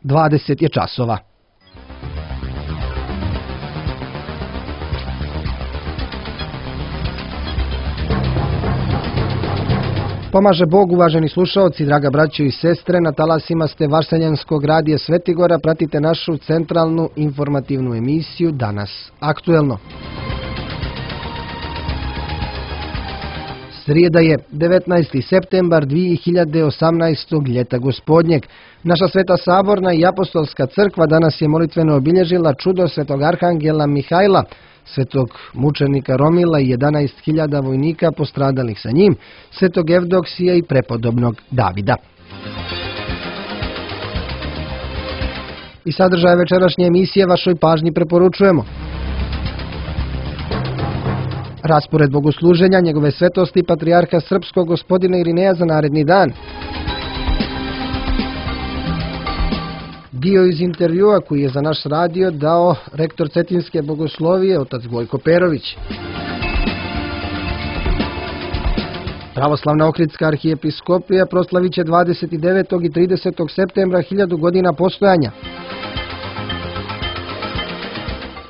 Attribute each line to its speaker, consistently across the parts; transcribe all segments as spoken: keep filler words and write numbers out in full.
Speaker 1: dvadeset je časova. Pomaže Bog, uvaženi slušaoci, draga braćo i sestre, na talasima ste Varseljanskog radija Svetigora, pratite našu centralnu informativnu emisiju Danas aktuelno. Srijeda je devetnaesti septembar dvije hiljade osamnaestog. ljeta gospodnjeg. Naša Sveta Saborna i Apostolska crkva danas je molitveno obilježila čudo svetog arhangela Mihajla, svetog mučenika Romila i jedanaest hiljada vojnika postradalih sa njim, svetog Evdoksija i prepodobnog Davida. I sadržaj večerašnje emisije vašoj pažnji preporučujemo. Raspored bogosluženja njegove svetosti patrijarha srpskog gospodina Irineja za naredni dan. Dio iz intervjua koji je za naš radio dao rektor Cetinske bogoslovije, otac Gojko Perović. Pravoslavna Ohridska arhijepiskopija proslavit će dvadeset devetog i tridesetog septembra hiljadu godina postojanja.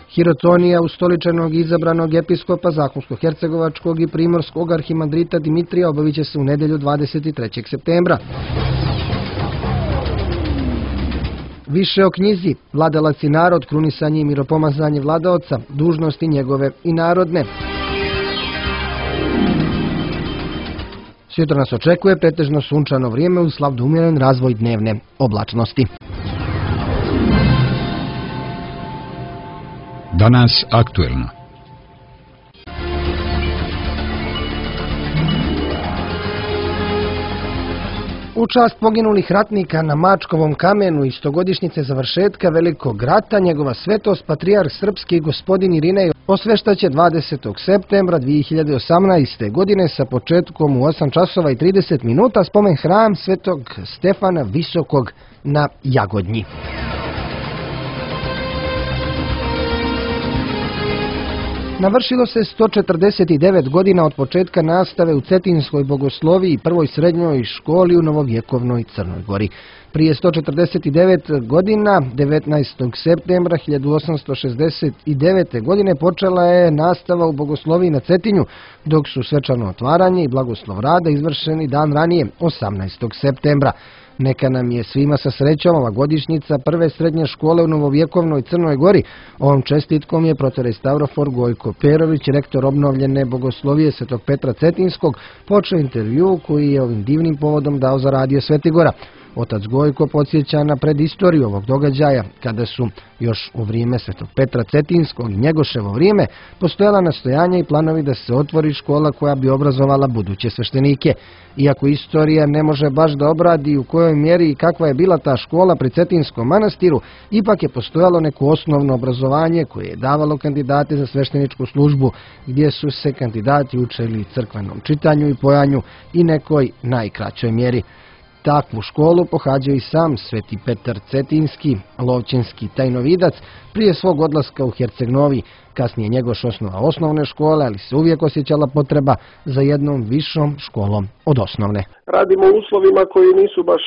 Speaker 1: Hirotonija ustoličenog i izabranog episkopa Zahumsko-hercegovačkog i primorskog arhimandrita Dimitrija obavit će se u nedjelju dvadeset trećeg septembra. Više o knjizi Vladalac i narod, krunisanje i miropomazanje vladaoca, dužnosti njegove i narodne. Sutra nas očekuje pretežno sunčano vrijeme uz slab do umjeren razvoj dnevne oblačnosti.
Speaker 2: Danas aktuelno.
Speaker 1: U čast poginulih ratnika na Mačkovom kamenu i stogodišnjice završetka Velikog rata, njegova svetost patrijarh srpski gospodin Irinej osveštaće dvadesetog septembra dvije hiljade osamnaeste. godine sa početkom u osam časova i trideset minuta spomen hram svetog Stefana Visokog na Jagodnji. Navršilo se sto četrdeset devet godina od početka nastave u Cetinskoj bogosloviji i prvoj srednjoj školi u novovjekovnoj Crnoj Gori. Prije sto četrdeset devet godina, devetnaestog septembra hiljadu osamsto šezdeset devete. godine, počela je nastava u bogosloviji na Cetinju, dok su svečano otvaranje i blagoslov rada izvršeni dan ranije, osamnaestog septembra. Neka nam je svima sa srećom ova godišnjica prve srednje škole u novovjekovnoj Crnoj Gori. Ovom čestitkom je protorejstavrofor Gojko Perović, rektor obnovljene bogoslovije Svetog Petra Cetinskog, počeo intervju koji je ovim divnim povodom dao za radio Svetigora. Otac Gojko podsjeća na predistoriju ovog događaja, kada su još u vrijeme Svetog Petra Cetinskog i Njegoševo vrijeme postojala nastojanja i planovi da se otvori škola koja bi obrazovala buduće sveštenike. Iako istorija ne može baš da obradi u kojoj mjeri i kakva je bila ta škola pri Cetinskom manastiru, ipak je postojalo neko osnovno obrazovanje koje je davalo kandidate za svešteničku službu, gdje su se kandidati učili crkvenom čitanju i pojanju i nekoj najkraćoj mjeri. Takvu školu pohađao i sam Sveti Petar Cetinski, lovčinski tajnovidac, prije svog odlaska u Herceg-Novi. Kasnije Njegoš osnova osnovne škole, ali se uvijek osjećala potreba za jednom višom školom od osnovne.
Speaker 3: Radimo u uslovima koji nisu baš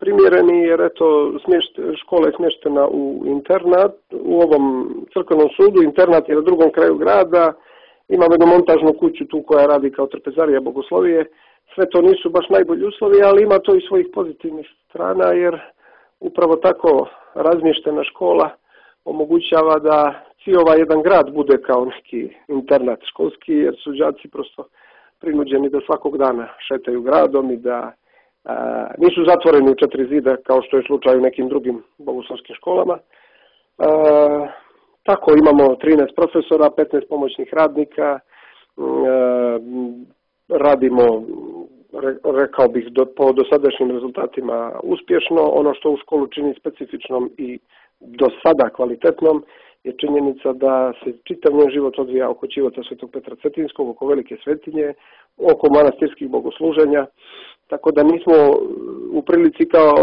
Speaker 3: primjereni, jer eto, škola je smještena u internat, u ovom crkvenom sudu, internat je na drugom kraju grada, imamo jednu montažnu kuću tu koja radi kao trpezarija bogoslovije. Sve to nisu baš najbolji uslovi, ali ima to i svojih pozitivnih strana, jer upravo tako razmještena škola omogućava da cijeli jedan grad bude kao neki internat školski, jer su đaci prosto prinuđeni da svakog dana šetaju gradom i da a, nisu zatvoreni u četiri zida kao što je slučaj u nekim drugim bogoslovskim školama. A, tako imamo trinaest profesora, petnaest pomoćnih radnika, a, radimo, rekao bih, do, po dosadašnjim rezultatima uspješno. Ono što u školu čini specifičnom i do sada kvalitetnom je činjenica da se čitav njen život odvija oko ćivota Svetog Petra Cetinskog, oko velike svetinje, oko manastirskih bogosluženja, tako da nismo u prilici kao,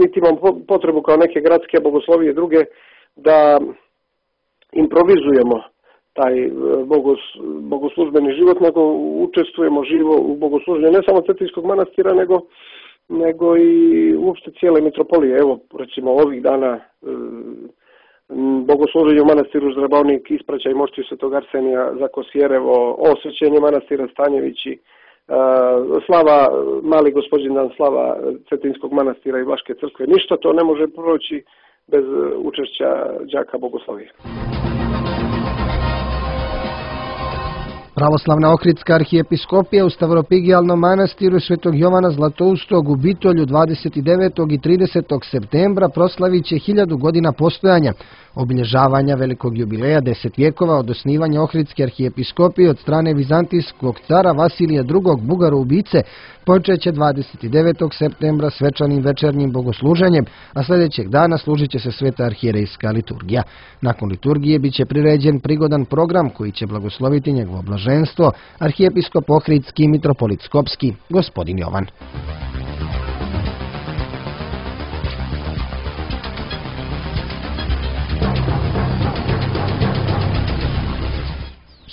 Speaker 3: niti imamo potrebu kao neke gradske bogoslovije druge da improvizujemo taj bogos, bogoslužbeni život, nego učestvujemo živo u bogosluženju ne samo Cetinskog manastira, nego nego i uopšte cijele mitropolije. Evo, recimo ovih dana bogosluženje u manastiru Ždrabovnik, ispraćaj mošti Svetog Arsenija za Kosjerevo, osvećenje manastira Stanjevići, slava, mali Gospođindan, slava Cetinskog manastira i Vlaške crkve. Ništa to ne može proći bez učešća đaka bogoslovije.
Speaker 1: Pravoslavna Ohridska arhijepiskopija u Stavropigijalnom manastiru Svetog Jovana Zlatoustog u Bitolju dvadeset devetog i tridesetog septembra proslavit će hiljadu godina postojanja, obilježavanja velikog jubileja deset vjekova od osnivanja Ohridske arhijepiskopije od strane vizantijskog cara Vasilija drugog. Bugaro-ubice počeće dvadeset devetog septembra svečanim večernjim bogosluženjem, a sljedećeg dana služit će se sveta arhijerejska liturgija. Nakon liturgije bit će priređen prigodan program koji će blagosloviti njegovo blaženstvo, arhijepiskop Ohridski i mitropolit Skopski, gospodin Jovan.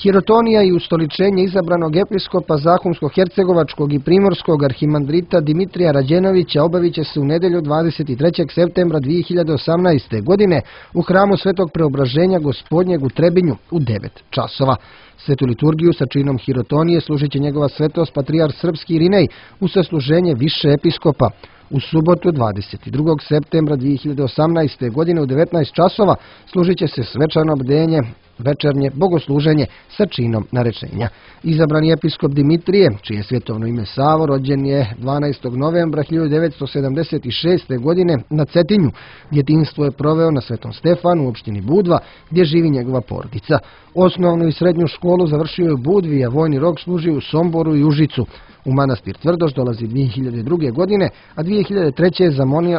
Speaker 1: Hirotonija i ustoličenje izabranog episkopa Zahumsko-hercegovačkog i primorskog arhimandrita Dimitrija Rađenovića obavit će se u nedjelju dvadeset trećeg septembra dvije hiljade osamnaeste. godine u hramu Svetog Preobraženja Gospodnjeg u Trebinju u devet časova. Svetu liturgiju sa činom hirotonije služit će njegova svetost patrijar srpski Irinej u sasluženje više episkopa. U subotu dvadeset drugog septembra dvije hiljade osamnaeste. godine u devetnaest časova služit će se svečano bdenje, večernje bogosluženje sa činom narečenja. Izabrani episkop Dimitrije, čije svjetovno ime Savo, rođen je dvanaestog novembra hiljadu devetsto sedamdeset šeste. godine na Cetinju. Djetinjstvo je proveo na Svetom Stefanu u opštini Budva, gdje živi njegova porodica. Osnovnu i srednju školu završio je u Budvi, a vojni rok služio u Somboru i Užicu. U manastir Tvrdoš dolazi dvije hiljade druge. godine, a dvije hiljade treće. je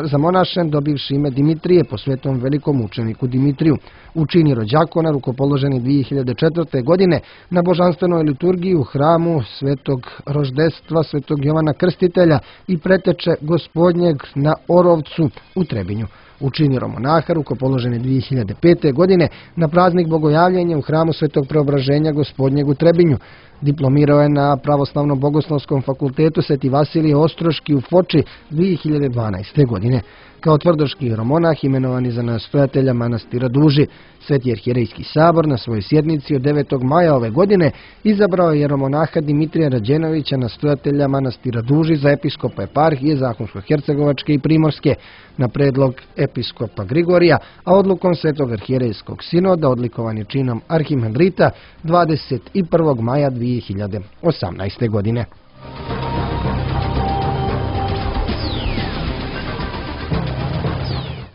Speaker 1: zamonašen dobivši ime Dimitrije po svetom velikom učeniku Dimitriju. U čini rođakona rukopoloženi dvije hiljade četvrte. godine na božanstvenoj liturgiji u hramu Svetog Roždestva Svetog Jovana Krstitelja i preteče Gospodnjeg na Orovcu u Trebinju. U čini romonaha rukopoloženi dvije hiljade pete. godine na praznik Bogojavljenja u hramu Svetog Preobraženja Gospodnjeg u Trebinju. Diplomirao je na Pravoslavnom bogoslovskom fakultetu Sveti Vasilije Ostroški u Foči dvije hiljade dvanaeste. godine. Kao tvrdoški romonah imenovani za nastojatelja manastira Duži. Sveti arhijerejski sabor na svojoj sjednici od devetog maja ove godine izabrao je romonaha Dimitrija Rađenovića, nastojatelja manastira Duži, za episkopa eparhije Zahumsko-hercegovačke i Primorske na predlog episkopa Grigorija, a odlukom Svetog arhijerejskog sinoda odlikovan je činom arhimandrita dvadeset prvog maja dvije hiljade osamnaeste. godine.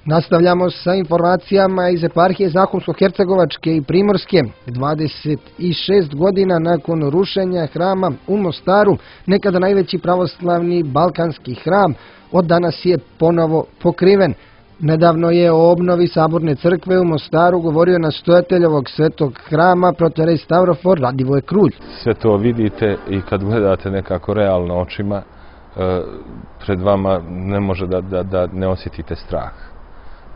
Speaker 1: Nastavljamo sa informacijama iz eparhije Zahumsko-hercegovačke i Primorske. dvadeset šest godina nakon rušenja hrama u Mostaru, nekada najveći pravoslavni balkanski hram, od danas je ponovo pokriven. Nedavno je o obnovi Saborne crkve u Mostaru govorio nastojatelj ovog svetog hrama, protorej Stavrofor Radivoj Krulj.
Speaker 4: Sve to vidite i kad gledate nekako realno očima, pred vama ne može da, da, da ne osjetite strah,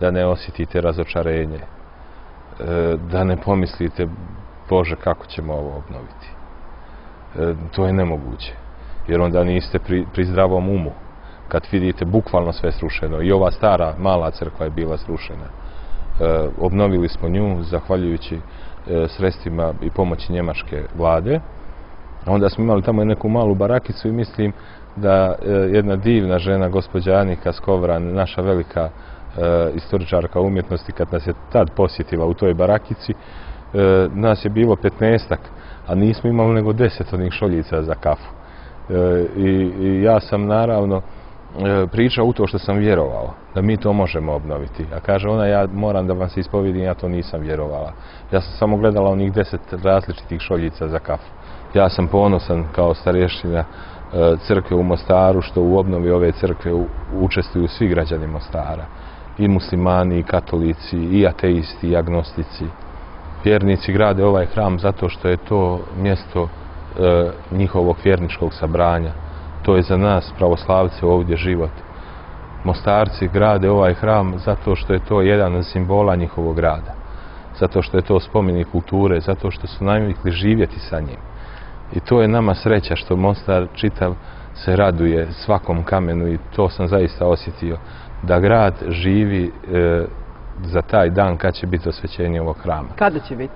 Speaker 4: da ne osjetite razočarenje, da ne pomislite, Bože, kako ćemo ovo obnoviti. To je nemoguće, jer onda niste pri, pri zdravom umu. Kad vidite bukvalno sve srušeno, i ova stara mala crkva je bila srušena. E, obnovili smo nju zahvaljujući e, sredstvima i pomoći njemačke vlade. Onda smo imali tamo neku malu barakicu i mislim da e, jedna divna žena, gospođa Anika Skovran, naša velika e, istoričarka umjetnosti, kad nas je tad posjetila u toj barakici, e, nas je bilo petnaestak, a nismo imali nego deset onih šoljica za kafu. E, i, i ja sam naravno pričao u to što sam vjerovao, da mi to možemo obnoviti. A kaže ona, ja moram da vam se ispovijedim, ja to nisam vjerovala. Ja sam samo gledala onih deset različitih šoljica za kafu. Ja sam ponosan kao starještina crkve u Mostaru, što u obnovi ove crkve učestvuju svi građani Mostara. I muslimani, i katolici, i ateisti, i agnostici. Vjernici grade ovaj hram zato što je to mjesto e, njihovog vjerničkog sabranja. To je za nas, pravoslavce, ovdje život. Mostarci grade ovaj hram zato što je to jedan od simbola njihovog grada. Zato što je to spomenik kulture, zato što su navikli živjeti sa njim. I to je nama sreća što Mostar čitav se raduje svakom kamenu i to sam zaista osjetio, da grad živi e, za taj dan kad će biti osvećenje ovog hrama.
Speaker 5: Kada će biti?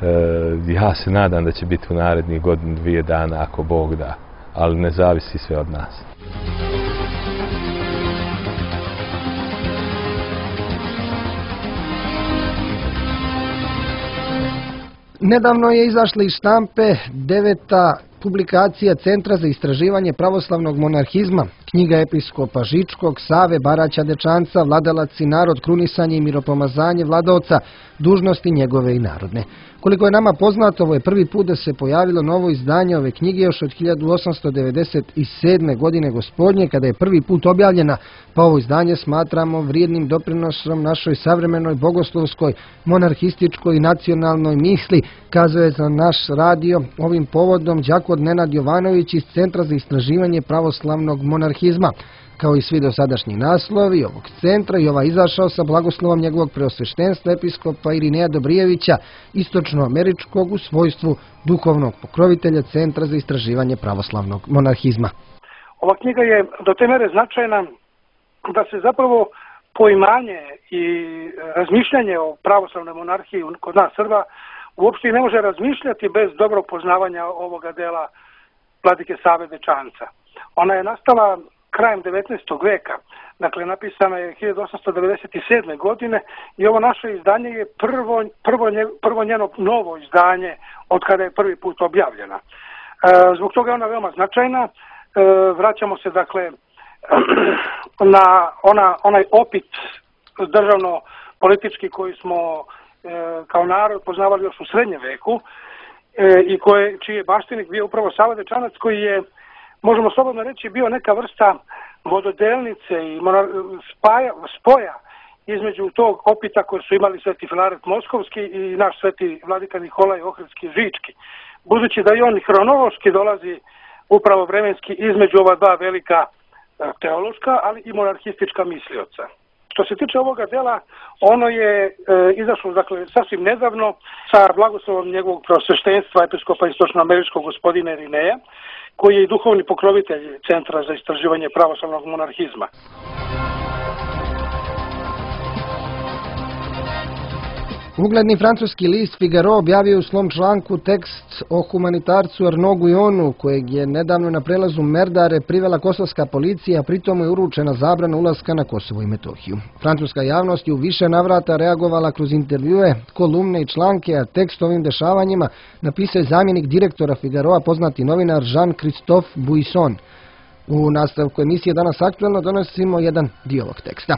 Speaker 4: E, ja se nadam da će biti u narednih godinu, dvije dana, ako Bog da, ali ne zavisi sve od nas.
Speaker 1: Nedavno je izašla iz štampe deveta publikacija Centra za istraživanje pravoslavnog monarhizma, knjiga episkopa Žičkog, Save, Baraća Dečanca, Vladalac i narod, krunisanje i miropomazanje vladaoca, dužnosti njegove i narodne. Koliko je nama poznato, ovo je prvi put da se pojavilo novo izdanje ove knjige još od hiljadu osamsto devedeset sedme. godine gospodnje, kada je prvi put objavljena, pa ovo izdanje smatramo vrijednim doprinosom našoj savremenoj bogoslovskoj, monarhističkoj i nacionalnoj misli, kazuje za naš radio ovim povodom đakon Nenad Jovanović iz Centra za istraživanje pravoslavnog monarhizma. Kao i svi dosadašnji naslovi ovog centra, i ovaj izašao sa blagoslovom njegovog preosveštenstva episkopa Irineja Dobrijevića, istočnoameričkog, u svojstvu duhovnog pokrovitelja Centra za istraživanje pravoslavnog monarhizma.
Speaker 6: Ova knjiga je do te mere značajna da se zapravo poimanje i razmišljanje o pravoslavnoj monarhiji kod nas Srba uopšte ne može razmišljati bez dobrog poznavanja ovoga dela vladike Save Dečanca. Ona je nastala krajem devetnaestog veka, dakle napisana je hiljadu osamsto devedeset sedme. godine i ovo naše izdanje je prvo, prvo, nje, prvo njeno novo izdanje od kada je prvi put objavljena. E, zbog toga je ona veoma značajna. E, vraćamo se dakle na ona, onaj opit državno-politički koji smo e, kao narod poznavali još u srednjem veku e, i koje, čiji je baštinik bio upravo Sava Dečanac, koji je, možemo slobodno reći, bio neka vrsta vododelnice i spaja, spoja između tog opita koje su imali sveti Filaret Moskovski i naš sveti vladika Nikolaj Ohridski Žički. Budući da i on hronološki dolazi upravo vremenski između ova dva velika teološka, ali i monarhistička mislioca. Što se tiče ovoga dela, ono je e, izašlo dakle, sasvim nedavno sa blagoslovom njegovog preosveštenstva episkopa istočnoameričkog gospodina Irineja, koji je i duhovni pokrovitelj Centra za istraživanje pravoslavnog monarhizma.
Speaker 1: Ugledni francuski list Figaro objavio u svom članku tekst o humanitarcu Arnaud Guyonu, kojeg je nedavno na prelazu Merdare privela kosovska policija, a pritom je uručena zabrana ulaska na Kosovo i Metohiju. Francuska javnost je u više navrata reagovala kroz intervjue, kolumne i članke, a tekst ovim dešavanjima napisao je zamjenik direktora Figaroa, poznati novinar Jean-Christophe Buisson. U nastavku emisije Danas aktuelno donosimo jedan dio ovog teksta.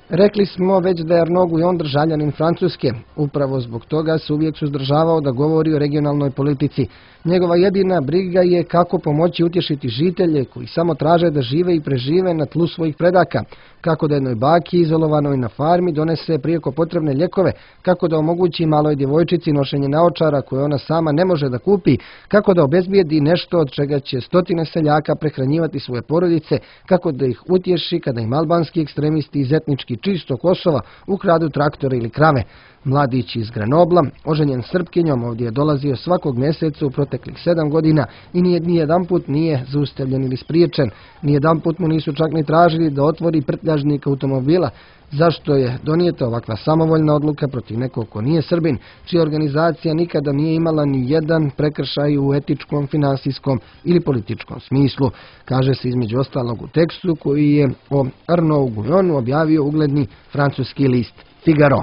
Speaker 1: Rekli smo već da je Arnaud Guyon državljanin Francuske. Upravo zbog toga se uvijek suzdržavao da govori o regionalnoj politici. Njegova jedina briga je kako pomoći utješiti žitelje koji samo traže da žive i prežive na tlu svojih predaka. Kako da jednoj baki izolovanoj na farmi donese prijeko potrebne ljekove, kako da omogući maloj djevojčici nošenje naočara koje ona sama ne može da kupi, kako da obezbijedi nešto od čega će stotine seljaka prehranjivati svoje porodice, kako da ih utješi kada im albanski ekstremisti iz etnički čisto Kosova ukradu traktore ili krave. Mladić iz Grenobla, oženjen Srpkinjom, ovdje je dolazio svakog mjeseca u proteklih sedam godina i nije ni jedan put nije zaustavljen ili spriječen. Ni jedan put mu nisu čak ni tražili da otvori prtljažnik automobila. Zašto je donijeta ovakva samovoljna odluka protiv nekog ko nije Srbin, čija organizacija nikada nije imala ni jedan prekršaj u etičkom, finansijskom ili političkom smislu, kaže se između ostalog u tekstu koji je o Arnaud Guyonu objavio ugledni francuski list Figaro.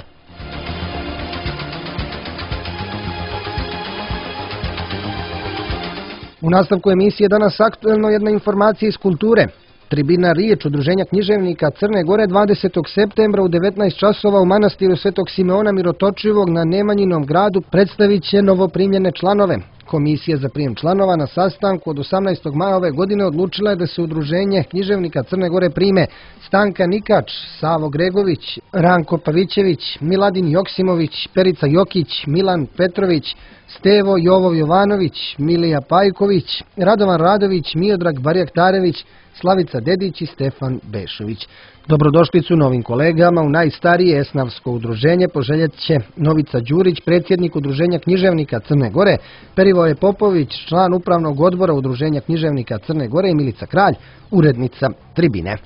Speaker 1: U nastavku emisije Danas aktuelno jedna informacija iz kulture. Tribina Riječ Udruženja književnika Crne Gore dvadesetog septembra u devetnaest časova u manastiru Svetog Simeona Mirotočivog na Nemanjinom gradu predstavit će novoprimljene članove. Komisija za prijem članova na sastanku od osamnaestog maja ove godine odlučila je da se Udruženje književnika Crne Gore prime Stanka Nikač, Savo Gregović, Ranko Pavićević, Miladin Joksimović, Perica Jokić, Milan Petrović, Stevo Jovov Jovanović, Milija Pajković, Radovan Radović, Miodrag Barjaktarević, Slavica Dedić i Stefan Bešović. Dobrodošlicu novim kolegama u najstarije esnavsko udruženje poželjet će Novica Đurić, predsjednik Udruženja književnika Crne Gore, Perivoje Popović, član upravnog odbora Udruženja književnika Crne Gore i Milica Kralj, urednica Tribine.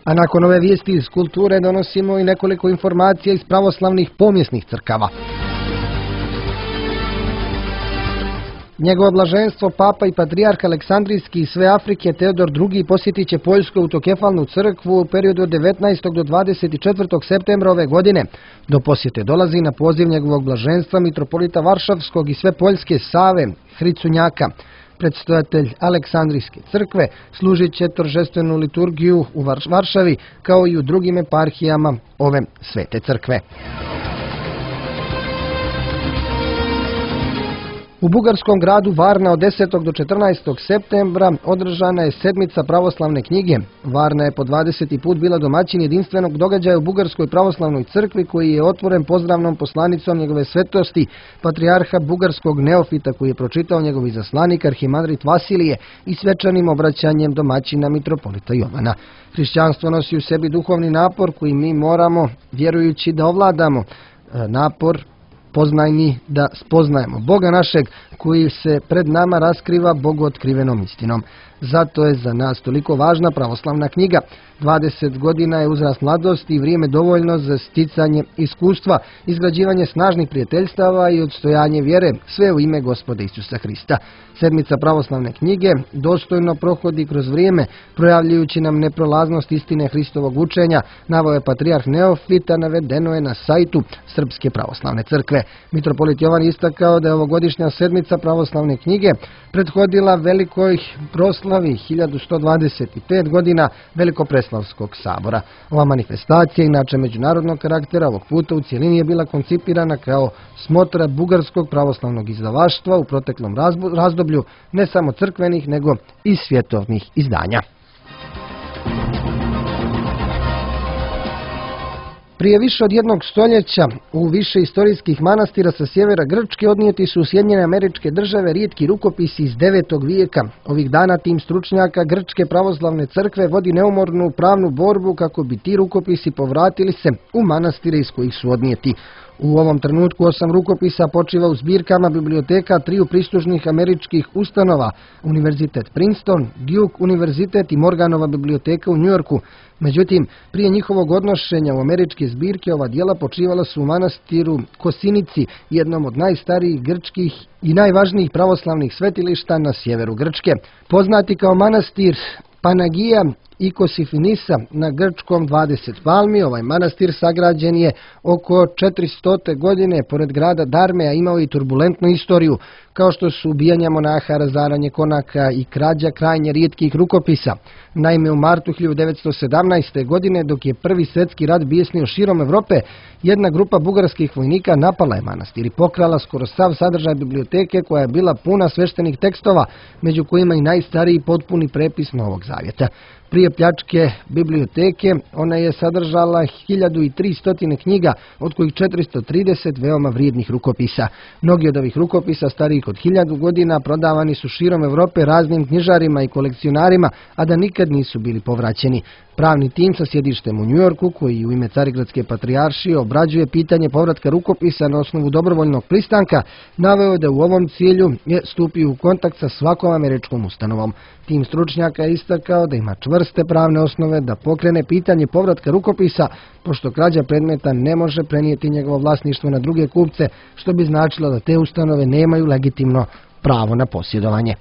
Speaker 1: A nakon ove vijesti iz kulture donosimo i nekoliko informacija iz pravoslavnih pomjesnih crkava. Njegovo blaženstvo Papa i Patrijarh Aleksandrijski i sve Afrike Teodor drugi posjetit će Poljsku autokefalnu crkvu u periodu od devetnaestog do dvadeset četvrtog septembra ove godine. Do posjete dolazi na poziv njegovog blaženstva mitropolita Varšavskog i sve Poljske Save Hricunjaka. Predstojatelj Aleksandrijske crkve služit će торжествenu liturgiju u Varšavi kao i u drugim eparhijama ove svete crkve. U bugarskom gradu Varna od desetog do četrnaestog septembra održana je sedmica pravoslavne knjige. Varna je po dvadeseti put bila domaćin jedinstvenog događaja u Bugarskoj pravoslavnoj crkvi koji je otvoren pozdravnom poslanicom njegove svetosti, patrijarha bugarskog neofita koji je pročitao njegov izaslanik arhimandrit Vasilije i svečanim obraćanjem domaćina mitropolita Jovana. Hrišćanstvo nosi u sebi duhovni napor koji mi moramo, vjerujući da ovladamo, napor poznajni da spoznajemo Boga našeg koji se pred nama raskriva Bogu otkrivenom istinom. Zato je za nas toliko važna pravoslavna knjiga. dvadeset godina je uzrast mladosti i vrijeme dovoljno za sticanje iskustva, izgrađivanje snažnih prijateljstava i odstojanje vjere, sve u ime Gospoda Isusa Hrista. Sedmica pravoslavne knjige dostojno prohodi kroz vrijeme, projavljujući nam neprolaznost istine Hristovog učenja, naveo je patrijarh Neofita, navedeno je na sajtu Srpske pravoslavne crkve. Mitropolit Jovan istakao da je ovogodišnja sedmica pravoslavne knjige prethodila velikoj proslavi hiljadu sto dvadeset pet godina Velikopreslavskog sabora. Ova manifestacija, inače međunarodnog karaktera, ovog puta u cijelini je bila koncipirana kao smotra bugarskog pravoslavnog izdavaštva u proteklom razdoblju, ne samo crkvenih, nego i svjetovnih izdanja. Prije više od jednog stoljeća u više istorijskih manastira sa sjevera Grčke odnijeti su u Sjedinjene Američke Države rijetki rukopisi iz devetog vijeka. Ovih dana tim stručnjaka Grčke pravoslavne crkve vodi neumornu pravnu borbu kako bi ti rukopisi povratili se u manastire iz kojih su odnijeti. U ovom trenutku osam rukopisa počiva u zbirkama biblioteka triju pristužnih američkih ustanova, Univerzitet Princeton, Duke univerzitet i Morganova biblioteka u Njujorku. Međutim, prije njihovog odnošenja u američke zbirke ova djela počivala su u manastiru Kosinici, jednom od najstarijih grčkih i najvažnijih pravoslavnih svetilišta na sjeveru Grčke. Poznati kao manastir Panagija i Kosifinisa na grčkom dvadeset palmi, ovaj manastir sagrađen je oko četiristote godine pored grada Darme, a imao i turbulentnu istoriju, kao što su ubijanja monaha, razaranje konaka i krađa krajnje rijetkih rukopisa. Naime, u martu hiljadu devetsto sedamnaeste. godine, dok je prvi svjetski rat bijesnio širom Europe, jedna grupa bugarskih vojnika napala je manastir i pokrala skoro sav sadržaj biblioteke koja je bila puna sveštenih tekstova, među kojima i najstariji potpuni prepis Novog Zavjeta. Prije pljačke biblioteke ona je sadržala hiljadu tristo knjiga, od kojih četiristo trideset veoma vrijednih rukopisa. Mnogi od ovih rukopisa starijih od hiljadu godina prodavani su širom Europe raznim knjižarima i kolekcionarima, a da nikad nisu bili povraćeni. Pravni tim sa sjedištem u Njujorku, koji u ime Carigradske patrijaršije obrađuje pitanje povratka rukopisa na osnovu dobrovoljnog pristanka, naveo je da u ovom cilju je stupio u kontakt sa svakom američkom ustanovom. Tim stručnjaka je istakao da ima čvrste pravne osnove da pokrene pitanje povratka rukopisa, pošto krađa predmeta ne može prenijeti njegovo vlasništvo na druge kupce, što bi značilo da te ustanove nemaju legitimno pravo na posjedovanje.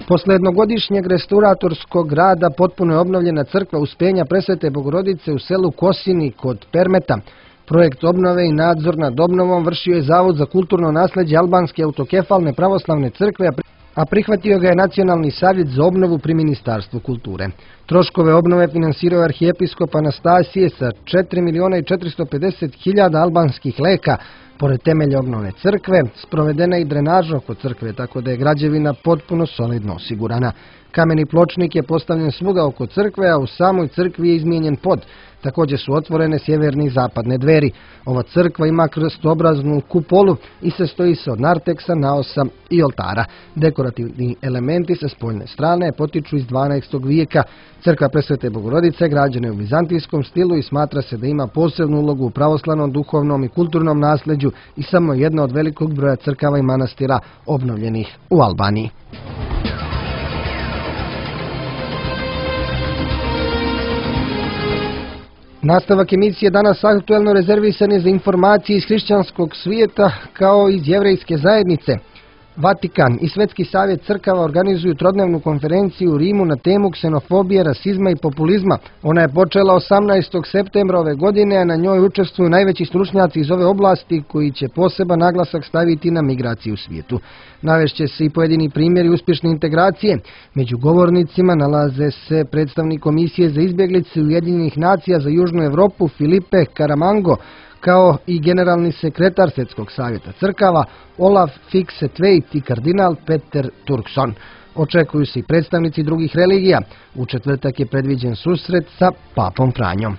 Speaker 1: Posle jednogodišnjeg restauratorskog rada potpuno je obnovljena crkva Uspenja Presvete Bogorodice u selu Kosini kod Permeta. Projekt obnove i nadzor nad obnovom vršio je Zavod za kulturno nasleđe Albanske autokefalne pravoslavne crkve, a prihvatio ga je Nacionalni savjet za obnovu pri Ministarstvu kulture. Troškove obnove finansirao je arhijepiskop Anastasije sa četiri miliona četiristo pedeset hiljada albanskih leka. Pored temelja obnove crkve, sprovedena je i drenaža oko crkve, tako da je građevina potpuno solidno osigurana. Kameni pločnik je postavljen svuda oko crkve, a u samoj crkvi je izmijenjen pod. Također su otvorene sjeverne i zapadne dveri. Ova crkva ima krstobraznu kupolu i sastoji se od narteksa, naosa i oltara. Dekorativni elementi sa spoljne strane potiču iz dvanaestog vijeka. Crkva Presvete Bogorodice građena je u vizantijskom stilu i smatra se da ima posebnu ulogu u pravoslavnom, duhovnom i kulturnom nasljeđu i samo jedna od velikog broja crkava i manastira obnovljenih u Albaniji. Nastavak emisije danas aktuelno rezervisan je za informacije iz hrišćanskog svijeta kao iz jevrejske zajednice. Vatikan i Svetski savjet crkava organizuju trodnevnu konferenciju u Rimu na temu ksenofobije, rasizma i populizma. Ona je počela osamnaestog septembra ove godine, a na njoj učestvuju najveći stručnjaci iz ove oblasti koji će poseban naglasak staviti na migraciju u svijetu. Navešće se i pojedini primjeri uspješne integracije. Među govornicima nalaze se predstavnik Komisije za izbjeglice Ujedinjenih nacija za Južnu Europu Filipe Caramango, kao i generalni sekretar Svjetskog savjeta crkava Olaf Fixetveit i kardinal Peter Turkson. Očekuju se i predstavnici drugih religija. U četvrtak je predviđen susret sa papom Franjom.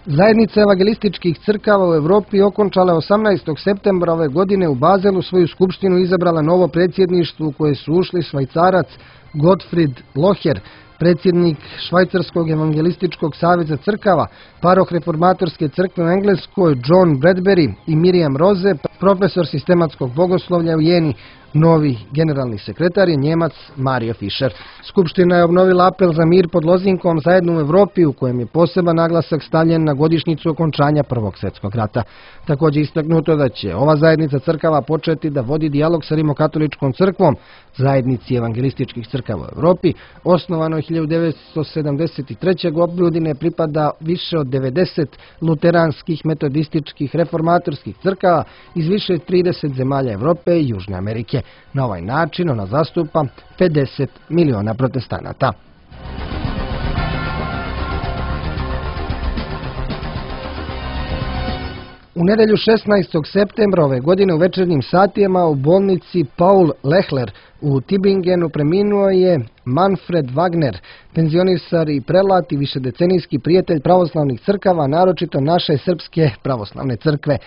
Speaker 1: Zajednica evangelističkih crkava u Europi okončala osamnaestog septembra ove godine u Bazelu svoju skupštinu i izabrala novo predsjedništvo u koje su ušli Švajcarac Gottfried Locher, predsjednik Švajcarskog evangelističkog saveza crkava, paroh reformatorske crkve u Engleskoj John Bradbury i Miriam Rose, profesor sistematskog bogoslovlja u Jeni. Novi generalni sekretar je Njemac Mario Fischer. Skupština je obnovila apel za mir pod lozinkom Zajedno u Europi, u kojem je poseban naglasak stavljen na godišnjicu okončanja Prvog svjetskog rata. Također istaknuto da će ova zajednica crkava početi da vodi dijalog sa Rimokatoličkom crkvom, zajednici evangelističkih crkava u Europi. Osnovano je hiljadu devetsto sedamdeset treće. godine, pripada više od devedeset luteranskih, metodističkih, reformatorskih crkava iz više od trideset zemalja Europe i Južne Amerike. Na ovaj način ona zastupa pedeset miliona protestanata. U nedjelju šesnaestog septembra ove godine u večernjim satima u bolnici Paul Lehler u Tübingenu preminuo je Manfred Wagner, penzionisar i prelat i višedecenijski prijatelj pravoslavnih crkava, naročito naše srpske pravoslavne crkve.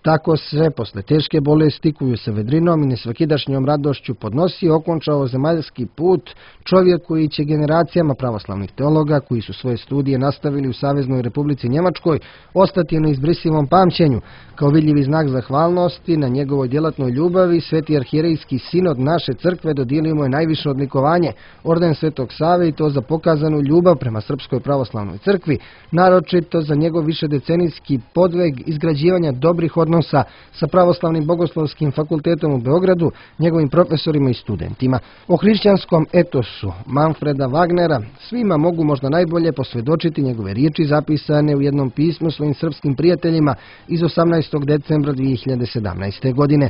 Speaker 1: Tako se, posle teške bolesti koju se vedrinom i nesvakidašnjom radošću podnosi, okončao zemaljski put čovjek koji će generacijama pravoslavnih teologa, koji su svoje studije nastavili u Saveznoj Republici Njemačkoj, ostati na izbrisivom pamćenju. Kao vidljivi znak zahvalnosti na njegovoj djelatnoj ljubavi, Sveti arhijerejski sinod naše crkve dodijelio mu je najviše odlikovanje, orden Svetog Save, i to za pokazanu ljubav prema Srpskoj pravoslavnoj crkvi, naročito za njegov višedecenijski podvig izgrađivanja dobrih odnosa sa Pravoslavnim bogoslovskim fakultetom u Beogradu, njegovim profesorima i studentima. O hrišćanskom etosu Manfreda Wagnera svima mogu možda najbolje posvjedočiti njegove riječi zapisane u jednom pismu svojim srpskim prijateljima iz osamnaestog decembra dvije hiljade sedamnaeste. godine.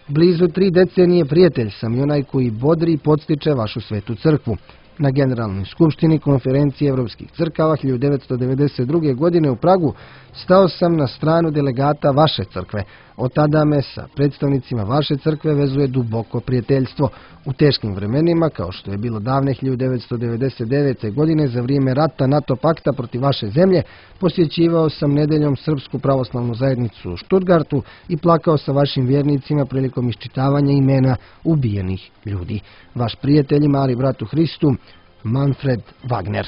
Speaker 1: Blizu tri decenije prijatelj sam i onaj koji bodri i podstiče vašu svetu crkvu. Na Generalnoj skupštini Konferencije Evropskih crkava hiljadu devetsto devedeset druge. godine u Pragu stao sam na stranu delegata vaše crkve. Od tada me sa predstavnicima vaše crkve vezuje duboko prijateljstvo. U teškim vremenima, kao što je bilo davne hiljadu devetsto devedeset devete. godine za vrijeme rata NATO pakta protiv vaše zemlje, posjećivao sam nedeljom Srpsku pravoslavnu zajednicu u Stuttgartu i plakao sa vašim vjernicima prilikom iščitavanja imena ubijenih ljudi. Vaš prijatelj i mali brat u Hristu, Manfred Wagner.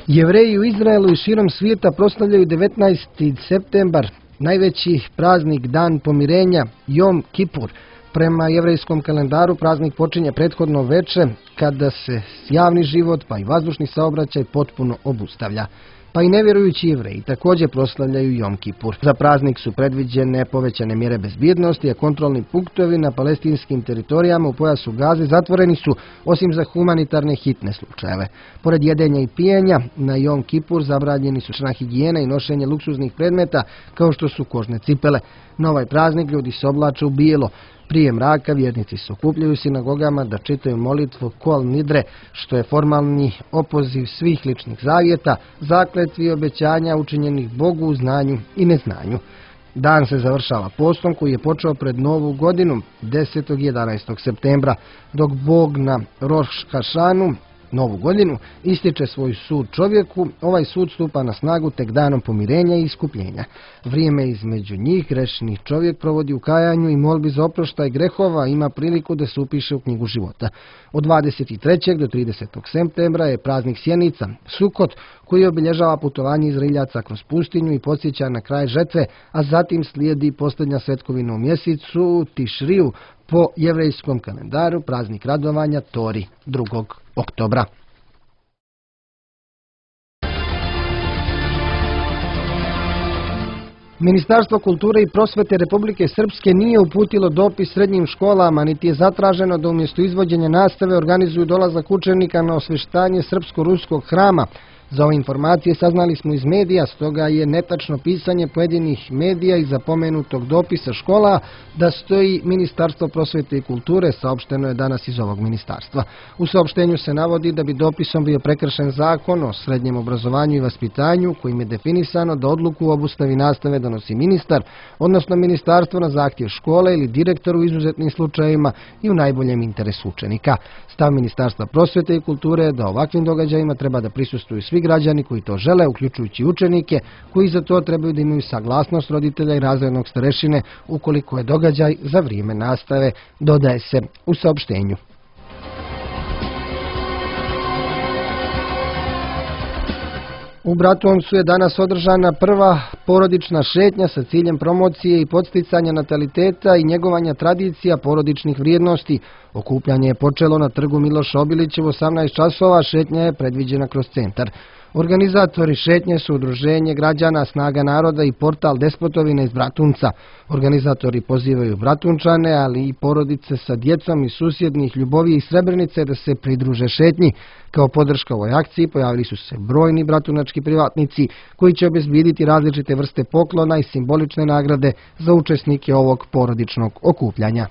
Speaker 1: Jevreji u Izraelu i širom svijeta proslavljaju devetnaesti septembar, najveći praznik, dan pomirenja, Jom Kipur. Prema jevrejskom kalendaru praznik počinje prethodno veče, kada se javni život pa i vazdušni saobraćaj potpuno obustavlja. Pa i nevjerujući Jevreji također proslavljaju Jom Kipur. Za praznik su predviđene povećane mjere bezbjednosti, a kontrolni punktovi na palestinskim teritorijama u pojasu Gaze zatvoreni su, osim za humanitarne hitne slučajeve. Pored jedenja i pijenja, na Jom Kipur zabranjeni su čna higijena i nošenje luksuznih predmeta, kao što su kožne cipele. Na ovaj praznik ljudi se oblače u bijelo. Prije mraka vjernici se okupljaju u sinagogama da čitaju molitvu Kol Nidre, što je formalni opoziv svih ličnih zavjeta, zakletvi i obećanja učinjenih Bogu u znanju i neznanju. Dan se završava postom koji je počeo pred Novu godinu desetog i jedanaestog septembra, dok Bog na Roš Hašanu, Novu godinu, ističe svoj sud čovjeku. Ovaj sud stupa na snagu tek danom pomirenja i iskupljenja. Vrijeme između njih grešni čovjek provodi u kajanju i molbi za oproštaj grehova, ima priliku da se upiše u knjigu života. Od dvadeset trećeg do tridesetog septembra je praznik Sjenica, Sukot, koji obilježava putovanje Izraeljaca kroz pustinju i podsjeća na kraj žetve, a zatim slijedi posljednja svetkovina u mjesecu Tišriju, po jevrejskom kalendaru praznik radovanja Tori drugog oktobra. Ministarstvo kulture i prosvete Republike Srpske nije uputilo dopis srednjim školama, niti je zatraženo da umjesto izvođenja nastave organizuju dolazak učenika na osvještanje srpsko-ruskog hrama. Za ove informacije saznali smo iz medija, stoga je netačno pisanje pojedinih medija iza pomenutog dopisa škola da stoji Ministarstvo prosvete i kulture, saopšteno je danas iz ovog ministarstva. U saopštenju se navodi da bi dopisom bio prekršen zakon o srednjem obrazovanju i vaspitanju, kojim je definisano da odluku o obustavi nastave donosi ministar, odnosno ministarstvo na zahtjev škole ili direktoru u izuzetnim slučajevima i u najboljem interesu učenika. Stav Ministarstva prosvete i kulture je da ovakvim događajima treba da prisustvuju svi građani koji to žele, uključujući učenike, koji za to trebaju da imaju saglasnost roditelja i razrednog starešine ukoliko je događaj za vrijeme nastave, dodaje se u saopštenju. U Bratuncu je danas održana prva porodična šetnja sa ciljem promocije i podsticanja nataliteta i njegovanja tradicija porodičnih vrijednosti. Okupljanje je počelo na trgu Miloša Obilića u osamnaest časova, šetnja je predviđena kroz centar. Organizatori šetnje su Udruženje građana Snaga naroda i portal Despotovina iz Bratunca. Organizatori pozivaju Bratunčane, ali i porodice sa djecom iz susjednih Ljubovije i Srebrenice da se pridruže šetnji. Kao podrška ovoj akciji pojavili su se brojni bratunački privatnici koji će obezbijediti različite vrste poklona i simbolične nagrade za učesnike ovog porodičnog okupljanja.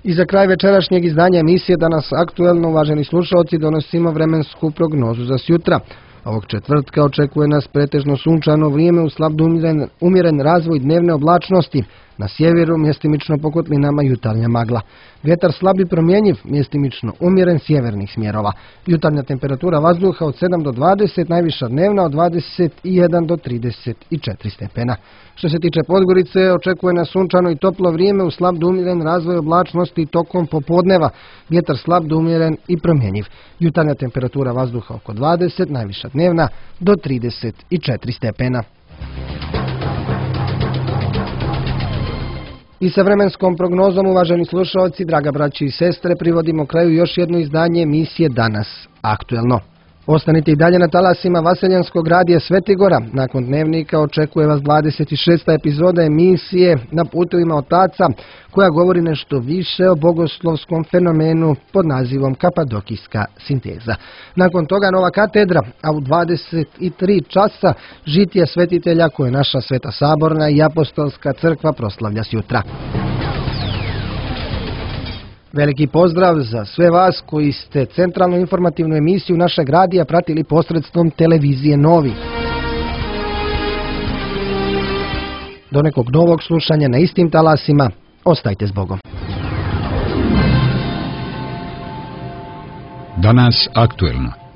Speaker 1: I za kraj večerašnjeg izdanja emisije Danas aktuelno, uvaženi slušalci, donosimo vremensku prognozu za sjutra. Ovog četvrtka očekuje nas pretežno sunčano vrijeme uz slab do umjeren, umjeren razvoj dnevne oblačnosti. Na sjeveru mjestimično po kotlinama jutarnja magla. Vjetar slab i promjenjiv, mjestimično umjeren sjevernih smjerova. Jutarnja temperatura vazduha od sedam do dvadeset, najviša dnevna od dvadeset jedan do trideset četiri stepena. Što se tiče Podgorice, očekuje nas sunčano i toplo vrijeme uz slab do umjeren razvoj oblačnosti tokom popodneva. Vjetar slab do umjeren i promjenjiv. Jutarnja temperatura vazduha oko dvadeset, najviša dnevna do trideset četiri stepena. I sa vremenskom prognozom, uvaženi slušalci, draga braći i sestre, privodimo kraju još jedno izdanje emisije Danas aktuelno. Ostanite i dalje na talasima Vaseljanskog radija Svetigora. Nakon dnevnika očekuje vas dvadeset šesta epizoda emisije Na putovima otaca, koja govori nešto više o bogoslovskom fenomenu pod nazivom Kapadokijska sinteza. Nakon toga Nova katedra, a u dvadeset tri časa žitije svetitelja koje naša Sveta Saborna i Apostolska crkva proslavlja sjutra. Veliki pozdrav za sve vas koji ste centralnu informativnu emisiju našeg radija pratili posredstvom televizije Novi. Do nekog novog slušanja na istim talasima, ostajte s Bogom.
Speaker 2: Danas aktuelno.